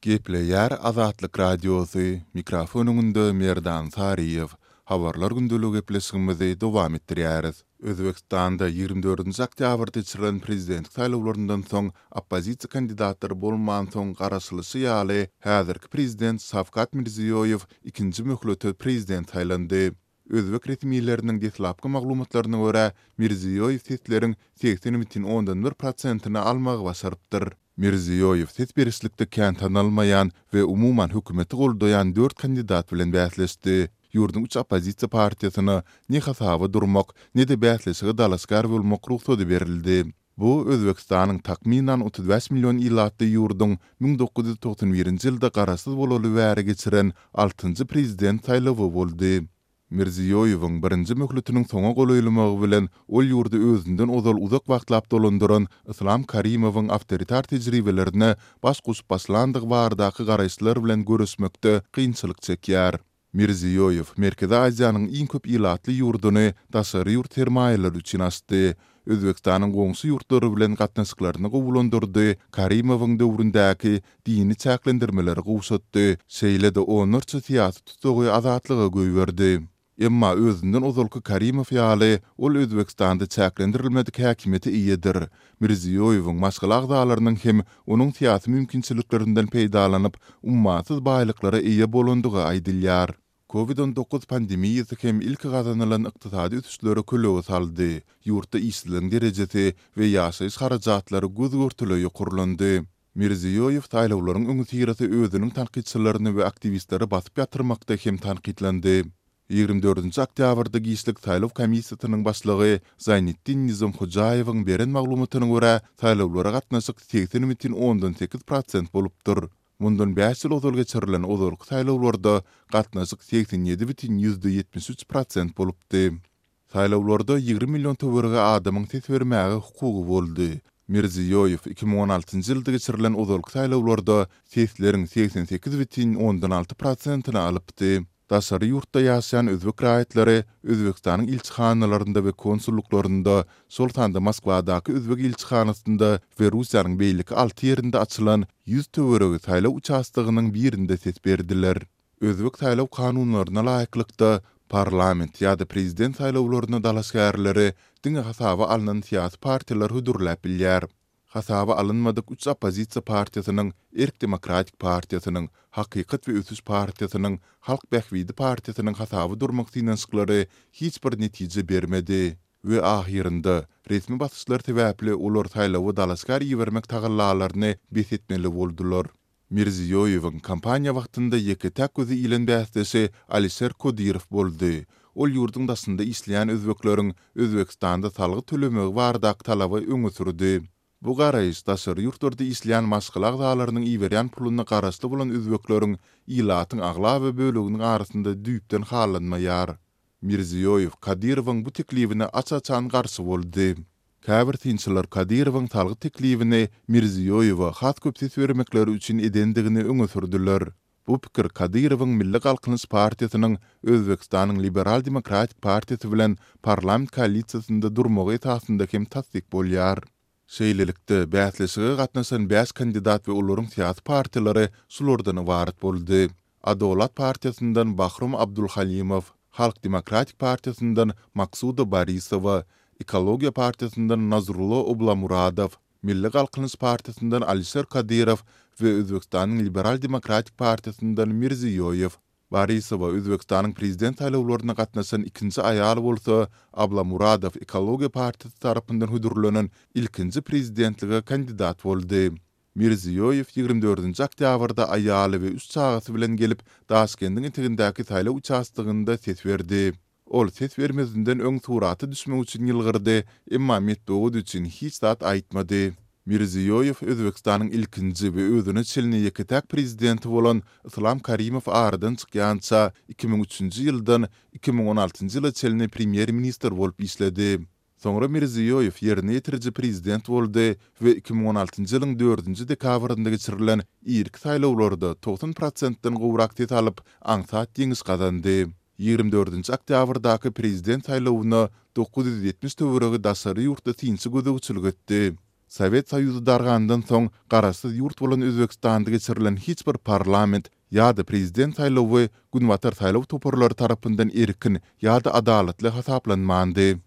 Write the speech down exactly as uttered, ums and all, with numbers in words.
Gepleýär Azatlyk Radiosy, mikrofon öňünde Merdan Saryýew. Habarlar gündeligi gepleşigimizi dowam etdirýäris. Özbegistanda ýigrimi dördünji oktýabrda geçirilen prezidentlik saýlawlaryndan soň oppozisiýa kandidatlary bolmansoň garaşylyşy ýaly häzirki prezident Şawkat Mirziýoýew ikinji möhlete prezident saýlandy. Özbek resmileriniň deslapky maglumatlaryna görä, Mirziýoýew sesleriň segsen bütin ondan bir prosentini almagy başarypdyr. Mirziýoýew ses berişlikde kän tanalmaýan we umuman hökümeti goldaýan dört kandidat bilen bäsleşdi. Ýurduň üç oppozisiýa partiýasyna ne hasaba durmak, ne-de bäsleşige dalaşgär bolmak rugsady berildi. Bu Özbegistanyň takmynan otuz bäş million ilatly ýurduň müň dokuz ýüz togsan birinji ýylda garaşsyz bolaly bäri geçiren altynjy prezident saýlawy boldy. Mirziýoýewiň birinji möhletiniň soňa golaýlamagy bilen ol ýurdy özünden ozal uzak wagtlap dolandyran Islam Karimowyň awtoritar tejribelerine baş goşup başlandygy baradaky garaýyşlar bilen göreşmekde kynçylyk çekýär. Mirziýoýew Merkezi Aziýanyň iň köp ilatly ýurduny daşary ýurt sermaýalary üçin açdy. Özbegistanyň goňşy ýurtlary bilen gatnaşyklaryny gowulandyrdy, Karimowyň döwründäki dini çäklendirmeleri gowşatdy, şeýle-de onlarça syýasy tutsagy azatlyga goýberdi. Emma özünden ozalky Karimow ýaly ol Özbegistanda çäklendirilmedik häkimiýete eýedir. Mirziýoýewiň maşgala agzalarynyň hem onuň syýasy mümkinçiliklerinden peýdalanyp, ummasyz baýlyklara eýe bolandygy aýdylýar. Covid on dokuz pandemiýasy hem ilki gazanylan ykdysady ösüşlere kölege saldy. Ýurtda işsizligiň derejesi we ýaşaýyş harajatlary göz-görtele ýokarlandy. Mirziýoýew saýlawlaryň öňüsyrasy özüniň tankytçylaryny we aktiwistleri basyp ýatyrmakda hem tankytlandy. Ýigrimi dördünji oktýabrda giçlik saýlaw komissiýasynyň başlygy Zaýniddin Nizomhojaýewiň beren maglumatyna görä, saýlawlara gatnaşyk segsen bütin ondan sekiz prosent bolupdyr. Mundan bäş ýyl ozal geçirilen ozalky saýlawlarda gatnaşyk segsen ýedi bütin ýüzde ýetmiş üç prosent bolupdy. Saýlawlarda ýigrimi million töweregi adamyň ses bermäge hukugy boldy. Mirziýoýew iki müň on altynjy ýylda geçirilen ozalky saýlawlarda sesleriň segsen sekiz bütin ondan alty prosentini alypdy. Daşary ýurtda ýaşaýan özbek raýatlary Özbegistanyň ilçihanalarynda we konsulluklarynda, şol sanda Moskwadaky özbek ilçihanasynda we Russiýanyň beýleki alty ýerinde açylan ýüz töweregi saýlaw uçastogynyň birinde ses berdiler. Özbek saýlaw kanunlaryna laýyklykda, parlament ýa-da prezident saýlawlaryna dalaşgärleri diňe hasaba alnan syýasy partiýalar hödürläp bilýär. Hasaba alynmadyk üç oppozisiýa partiýasynyň, Erk Demokratik partiýasynyň, Hakykat we Ösüş partiýasynyň, Halk Bähbidi partiýasynyň hasaba durmak synanyşyklary hiç bir netije bermedi. We ahyrynda, resmi basyşlar sebäpli olar saýlawa dalaşgär ibermek tagallalaryny bes etmeli boldular. Mirziýoýewiň kampaniýa wagtynda ýeke-täk gözi ilen bäsdeşi Alişer Kodirow boldy. Ol ýurduň daşynda işleýän özbekleriň Özbegistanda salgyt tölemegi baradaky talaby öňe sürdi. Bu garaýyş daşary ýurtlarda işleýän maşgala agzalarynyň iberýän puluna garaşly bolan özbekleriň ilatyň aglaba böleginiň arasynda düýpden halanmaýar. Mirziýoýew Kadirowyň bu teklibine aç-açan garşy boldy. Käbir synçylar Kadirowyň salgyt teklibini Mirziýoýewe has köp ses bermekleri üçin edendigini öňe sürdüler. Bu pikir Kadirowyň Milli Galkynyş partiýasynyň Özbegistanyň Liberal Demokratik partiýasy bilen parlament koalisiýasynda durmagy esasynda hem tassyk bolýar. Şeýlelikde, bäsleşige gatnaşan bäş kandidat we olaryň syýasy partiýalary şulardan ybarat boldy. Adolat partiýasyndan Bahrom Abdulhalimow, Halk Demokratik partiýasyndan Maksuda Borisowa, Ekologiýa partiýasyndan Nazrullo Oblamuradow, Milli Galkynyş partiýasyndan Alişer Kadirow we Özbegistanyň Liberal Demokratik partiýasyndan Mirziýoýew. Borisowa Özbegistanyň prezident saýlawlaryna gatnaşan ikinji aýal bolsa, Ablamuradow Ekologiýa partiýasy tarapyndan hödürlenen ilkinji prezidentlige kandidat boldy. Mirziýoýew ýigrimi dördünji oktýabrda aýaly we üç çagasy bilen gelip, Daşkendiň etegindäki saýlaw uçastogynda ses berdi. Ol ses bermezinden öň surata düşmek üçin ýylgyrdy, emma metbugat üçin hiç zat aýtmady. Mirziýoýew Özbegistanyň ilkinji we özüne çenli ýeke-täk prezidenti bolan Islam Karimow aradan çykýança iki müň üçünji ýyldan iki müň on altynjy ýyla çenli premýer-ministr bolup işledi. Soňra Mirziýoýew ýerine ýetiriji prezident boldy we iki müň on altynjy ýylyň dördünji dekabrynda geçirilen irki saýlawlarda togsan prosentden gowrak ses alyp, aňsat ýeňiş gazandy. Ýigrimi dördünji oktýabrdaky prezident saýlawyna dokuz ýüz ýetmiş töweregi daşary ýurtly synçy gözegçilik etdi. Sowet Soýuzy dargandan soň garaşsyz ýurt bolan Özbegistanda geçirilen hiç bir parlament ýa-da prezident saýlawy Günbatar saýlaw toparlary tarapyndan erkin ýa-da adalatly hasaplanmandy.